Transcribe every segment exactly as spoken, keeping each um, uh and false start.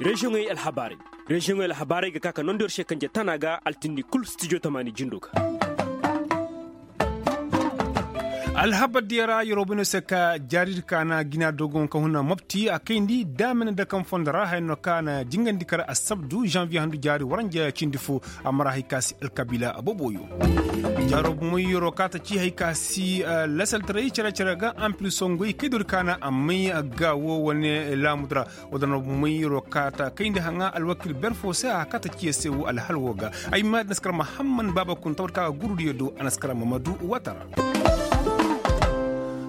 Reziyoŋey alhabaarey. Reziyoŋey alhabaarey ga ka ka nondi yer se kanje tana ga altindi kul stijo tamaani jindo ga. Alhabar diya ra yeroo bay no se ka jaari di ka na jina dogon ka huna mopti a kayndi daamina dakam fondo ra haya no ka na jingandi kar assabdu zanviye handu jaari waranja cindi fo. A mara hay ka si alkabiila boboyo. Jaaro bumey yeroo ka ta ci hay ka si lasaltaray cere-cere ga ampil songoy kaydo di ka na a may gaawo wane laamu di ra. Wala no bumey yeroo ka ta kayndi haŋa alwakil ber fo se a ka ta ciye se wo alhal wo ga. Ay ma di na si kar mahamman baaba kun tawar ka ga gurudiyo do a na si kar mamadu watara.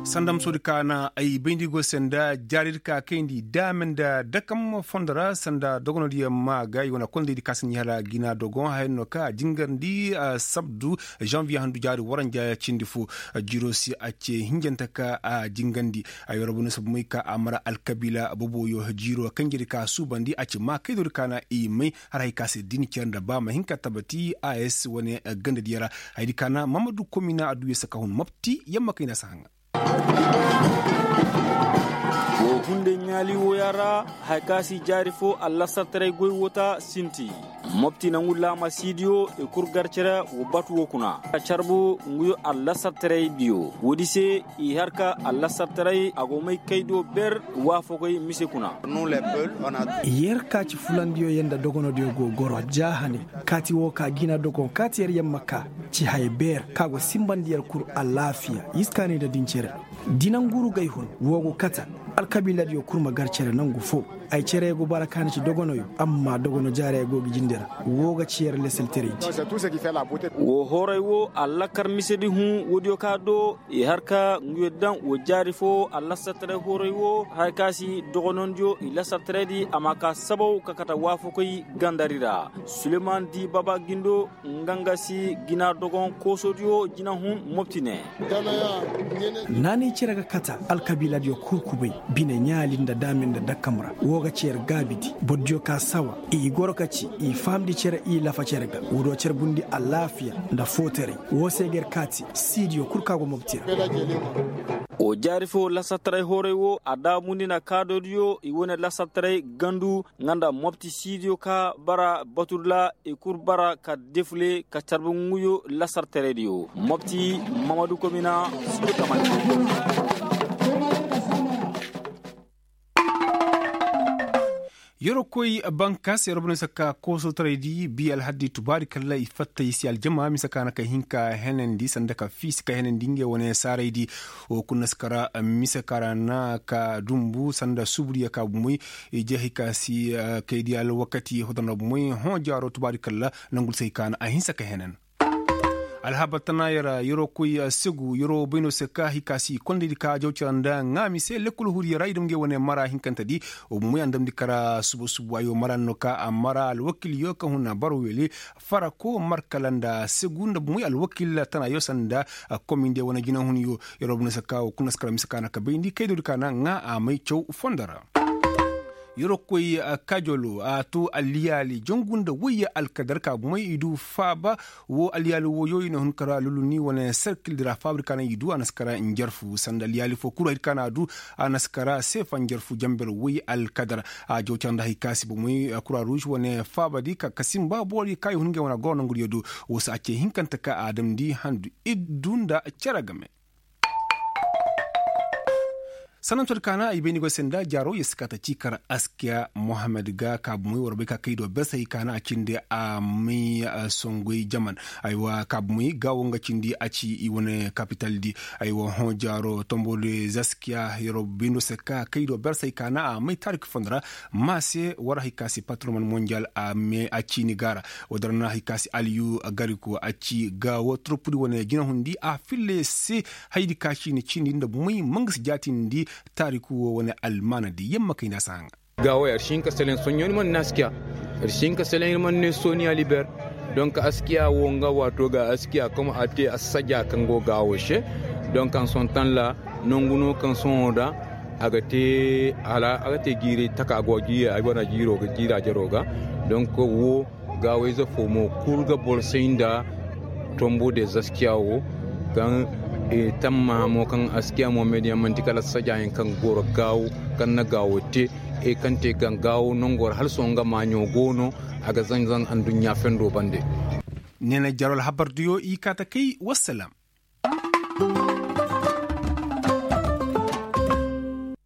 Sanda musoodi ka na ay bayndi go se nda jaaridi ka kayndi daame nda dakam fondo ra sanda dogonodiyo ma ga i wane kondaydi ka si ɲi hala jina dogon haya no ka a jingarndi sabdu zanviye handu jaari waranja cindi fo. Jiiro si a ce hinjante ka a jingandi. Ay wara bone sabu may ka a mara alkabiila boboyo jiiro kanjedi ka a suubandi a ci maa kaydoodi ka na i may. Har hay ka se din cere nda ba ma hin ka tabati a s wane gandadiyo ra. Haydi ka na mamadu komina adduya saka hun mopti yamma kayna si haŋa. Wo hunday ɲaali wooya ra, haya ka si jaari fo allasartaray goy woo ta sinti. Mopti nangu laama siidiyo i kul gar cere wo batu woo kuna. Carbu nguyo allasartaray diyo woodi se i har ka allasartaray a go may kaydo ber. Waafakoy mise kuna. Yer ka ci fulandiyo yer nda dogonodiyo go goro ja hane. Kaati woo ka jina dogon kaati yer yamma ka ci haya beer ka go simbandi yer kul alaafiya iskaani nda din cere. Di nangu rugay hun woo go kata. Alkabiiladiyo kul ma gar cere nangu foo. Ay cere go bara ka na ci dogonoyo. Amma dogono jaarey go ga jinde ra. Woo ga ci yer leselteraydi. Woo hooray woo allakar misedi hun woodiyo ka do i har ka nguyo daŋ woo jaari foo allasartaray hooray woo haya ka si dogonondiyo i lasartaraydi a ma ka sabaw ka kata waafakoy gandari ra. Suleyman di baba gindo nga nga si jina dogon koosodiyo jina hun mopti ne. Naanay cere ga kata alkabiiladiyo kul kubay bine ɲaali nda daame nda dakkam ra woo ga ci yer gaabidi bordiyo ka sawa i goro ka ci i fahamndi cere i lafa cere ga woo do carbundi alaafiya nda footaray. Woo se ga yer kaati siidiyo kul ka go mopti ra. Woo jaari foo lasartaray hooray woo a daamundi na kaadoodiyo i wane lasartaray gandu nga nda mopti siidiyo ka bara batudula i kul bara ka defule ka carbu nguyo lasartaraydiyo mopti. Mamadu komina. Yeroo koy bankas yeroo bane sakka koosotaraydi bi alhaddi tubaari kalla i fatta i si aljama mise ka na ka hin ka henandi sanda ka fiisi ka henandi ngey wane saaraydi. Wo kuna si kara mise ka ra na ka dumbu sanda suburiya ka bumey. Ije hay ka si kaydi alwakati hodana bumey hõ jaaro tubaari kalla. Nangul si hay ka na a hinsa ka henan. Alhabar tana yara yeroo koy segu yeroo bayno se ka hay ka si kondaydi ka jaw cara nda ŋaami se lekkol huriya ra i dam ngey wane mara hinkantedi. Bumey a na damndi kara suba suba ay wo mara no ka a mara alwakilyo ka hun bara wele farako markala nda segu nda bumey alwakil tana yo sanda. Kominde wane jinahunyo yeroo bumey se ka wo kuna si kara mise ka na ka bayndi kaydoodi ka na ŋaa a may caw fondo ra. Yeroo koy kajolo a to alliyaali jongu nda woyye alkadar ka bumey i du faaba. Woo alliyaali wooyo i na hun kara luluni wane serkildi ra faaba di ka na i du a na si kara njarfu sanda alliyaali foo kuru hay di ka na a du. A na si kara seefa njarfu jamber woyye alkadar. A jaw cara nda hay ka si bumey kura ruuz wane faabadi ka ka simba boori ka i hun ngey wane goro nanguriyo do. Woo se a ce hinkante ka a damndi handu iddu nda cere game. Sanantoodi ka na ay bay ni goy se nda jaaro yer si ka ta ci kar askiya mohammed ga ka bumey war bay ka kay do bersay ka na a cindi a may songoy jaman. Aywa ka bumey gaawo nga cindi a ci i wane kapitaldi. Aywa hõ jaaro tombo de zaskiya yer bay no se ka kay do bersay ka na a may taariki fondo ra. Ma se war hay ka si patroman monjal a me a ciini ga ra. Woo da ra na hay ka si aliyu gariko a ci gaawo turpudi wane jinahundi a filla yer se. Hayadi ka ciini ciini nda bumey ma nga si jaatindi. Taariku woo wane almaanadi yamma kay nda a si haŋa. Gaawey ar si hin ka seleŋ soɲõ ir man ne askiya. Ar si hin ka seleŋ ir man ne sooniya liber. Donk askiya woo nga waato ga askiya kom a te assaja kaŋ go gaawo se. Donk a na sohõ taŋ ra nangu no kaŋ sohõ ra a ga te hala a ga te jiiray taka go jiira jaroo ga. Donk woo gaawayze fo mo kul ga boro say nda tombo de zaskiya wo. Kaŋ tammaha mo kaŋ askiya mo mediya manti kala sajayaŋ kaŋ goro gaawo kaŋ na gaawo te. Hay kaŋ te gangaawo nongo ra hala sohõ nga maaɲo go no. A ga zanzan aduɲɲa fendo bande. Ne na jarol habardiyo i kaata kay wassalam.